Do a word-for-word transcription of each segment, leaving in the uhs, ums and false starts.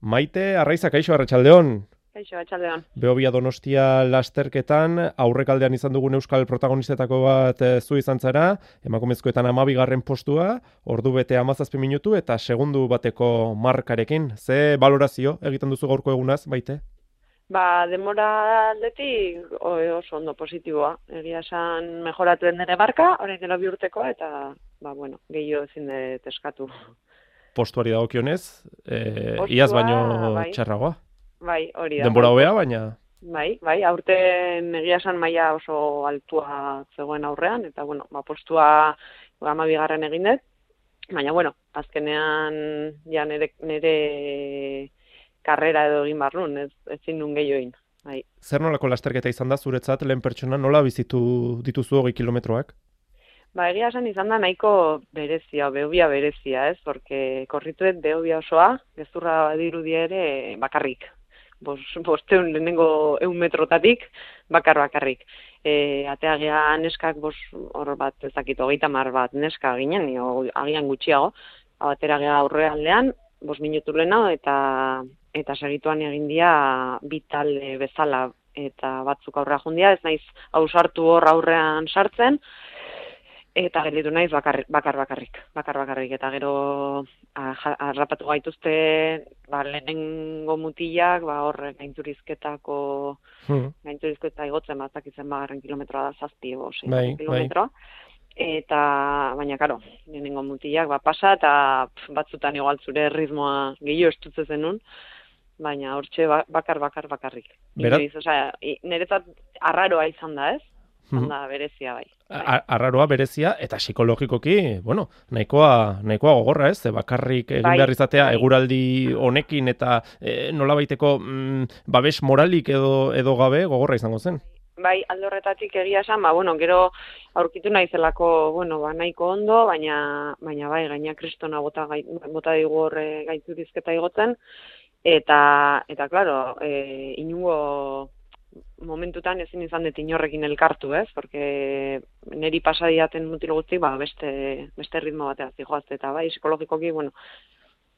Maite Arraiza, kaixo, arratsaldeon. Kaixo, arratsaldeon. Behobia Donostia lasterketan, aurrekaldean izan dugun euskal protagonistetako bat e, zu izan zara, emakumezkoetan hamabigarren postua, ordu bete hamazazpi minutu eta segundu bateko markarekin. Ze balorazio egiten duzu gaurko egunaz, Maite? Ba, demora aldetik oso ondo positiboa. Egia esan mejoratu den ere barka, orain dela bi urtekoa, eta, ba, bueno, gehiago ezin dut eskatu. Postuari dagokionez, e, Postua, iaz baino bai. txarragoa. Bai, hori da. Denbora bai, hobea, baina... Bai, bai, aurten egia esan maila oso altua zegoen aurrean, eta, bueno, ba, postua hamabigarren egin dut, baina, bueno, azkenean ja nere, nere karrera edo egin barrun, ez, ezin nun gehiago egin. Bai. Zer nolako lasterketa izan da zuretzat lehen pertsona, nola bizitu dituzu hogei kilometroak? Ba, egia esan izan da nahiko berezia, behobia berezia, ez? Porque korrituet behobia osoa, gezurra badirudia ere bakarrik. Bos, bosteun lehenengo eun metrotatik, bakar bakarrik. E, ateagea neskak, bos, hor bat, ezakit, hogeita mar bat neska ginen, o, agian gutxiago, ateragea aurrealdean, bos minutu lehenago, eta eta segituan egin dia bi talde bezala, eta batzuk aurrea jundia, ez naiz ausartu hor aurrean sartzen, eta gelditu naiz bakar, bakar bakarrik, bakar bakarrik, eta gero harrapatu gaituzte, ba, lehenengo mutilak, ba, hor gainturizketako, hmm. gainturizketa igotzen bat, zakitzen bagarren kilometroa da zazpi, bo, bai, kilometroa, bai. Eta, baina, karo, lehenengo mutilak, ba, pasa, eta pf, batzutan igual zure ritmoa gehiago estutze zenun, baina hortxe bakar, bakar, bakarrik. Berat? Inoiz, osea, niretzat arraroa izan da, ez? Izan da berezia, bai. Arraroa, berezia, eta psikologikoki, bueno, nahikoa, nahikoa gogorra, ez? Bakarrik egin bai, behar izatea bai. eguraldi honekin eta e, nolabaiteko mm, babes moralik edo, edo gabe gogorra izango zen. Bai, alde horretatik egia esan, ba, bueno, gero aurkitu naizelako, bueno, ba, nahiko ondo, baina, baina bai, gaina kristona bota, gai, bota digu horre gaiturizketa igotzen, eta, eta, klaro, e, inungo momentutan ezin izan dut inorrekin elkartu, ez? Porque neri pasadiaten mutil guzti, ba, beste, beste ritmo batea zijoazte, eta bai, psikologikoki, bueno,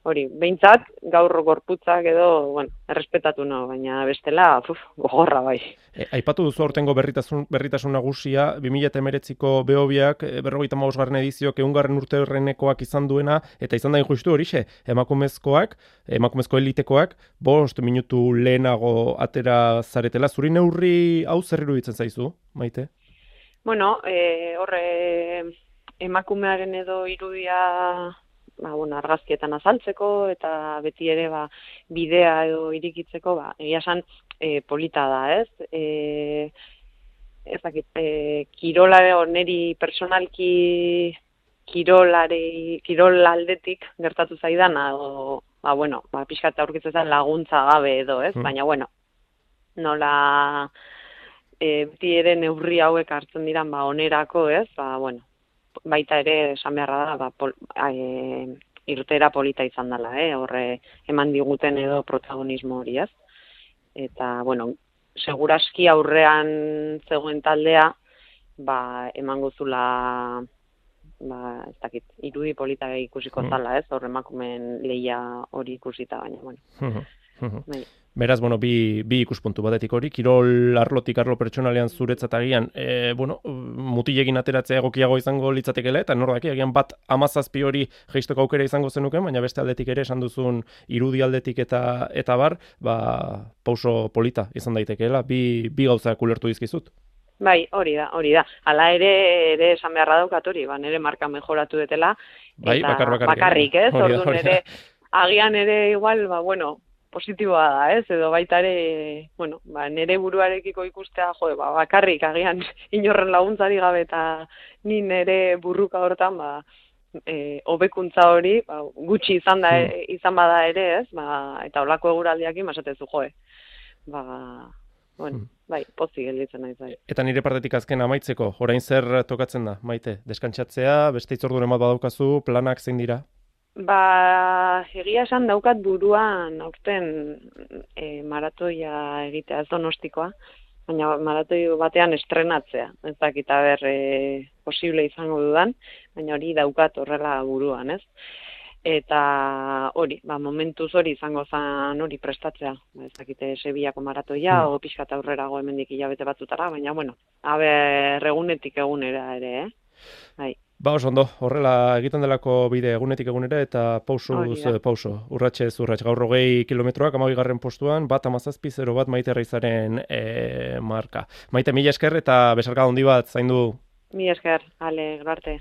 hori, behintzat, gaur gorputzak edo, bueno, errespetatu no, baina bestela, uf, gogorra bai. E, aipatu duzu aurtengo berritasun, berritasun nagusia, bi mila hemeretziko Behobiak, berrogeita hamabosgarren edizioak ehungarren urte horrenekoak izan duena, eta izan da injustu horixe, emakumezkoak, emakumezko elitekoak, bost minutu lehenago atera zaretela, zuri neurri hau zer iruditzen zaizu, Maite? Bueno, e, horre emakumearen edo irudia, ba, bueno, argazkietan azaltzeko, eta beti ere ba, bidea edo irikitzeko, ba, egia esan e, polita da, ez? E, ez dakit, e, kirola neri personalki kirolari, kirol aldetik gertatu zaidana, edo, ba, bueno, ba, pixkat aurkitzen laguntza gabe edo, ez? Mm. Baina, bueno, nola e, beti ere neurri hauek hartzen diran, ba, onerako, ez? Ba, bueno, baita ere esan beharra da, ba, pol, e, irtera polita izan dela, eh? Horre eman diguten edo protagonismo hori, ez? Eta, bueno, seguraski aurrean zegoen taldea, ba, emango zula, ba, ez dakit, irudi polita ikusiko zala, ez? Horre emakumen lehia hori ikusita, baina, bueno. Bai. Beraz, bueno, bi, bi ikuspuntu batetik hori, kirol arlotik arlo pertsonalean zuretzat agian, e, bueno, mutilekin ateratzea egokiago izango litzatekela, eta nordaki agian bat amazazpi hori geistoko aukera izango zenuken, baina beste aldetik ere esan duzun irudi aldetik eta eta bar, ba, pauso polita izan daitekeela, bi, bi gauzak ulertu dizkizut. Bai, hori da, hori da. Hala ere, ere esan beharra daukat hori, ba, nire marka mejoratu detela, bai, eta bakar, bakar, bakarrik, ez? Orduan ere, agian ere igual, ba, bueno, positiboa da, ez? Edo baita ere, bueno, ba, nire buruarekiko ikustea, jo, ba, bakarrik, agian inorren laguntzari gabe eta ni nire burruka hortan, ba, e, hobekuntza hori, ba, gutxi izan da, hmm. izan bada ere, ez? Ba, eta holako eguraldiakin basatezu, joe. Ba, bueno, hmm. bai, pozik gelditzen naiz bai. Eta nire partetik azken amaitzeko, orain zer tokatzen da, Maite? Deskantsatzea, beste itzorduren bat badaukazu, planak zein dira? Ba, egia esan daukat buruan aurten e, maratoia egitea, ez Donostikoa, baina maratoi batean estrenatzea. Ez dakit aber e, posible izango dudan, baina hori daukat horrela buruan, ez? eta hori, ba, momentuz hori izango zan hori prestatzea. Ba, ez dakite Sevillako maratoia, Hmm. o pixkat aurrerago hemendik hilabete batzutara, baina, bueno, aber, egunetik egunera ere, eh? Bai. Ba, oso ondo, horrela egiten delako bide egunetik egunera eta pausuz Hori da. pauso, urratxez urratx, gaur hogei kilometroak amabigarren postuan, bat amazazpi zero bat Maite Reizaren e, marka. Maite, mila esker eta besarka handi bat zaindu. Mi esker, ale, gero arte.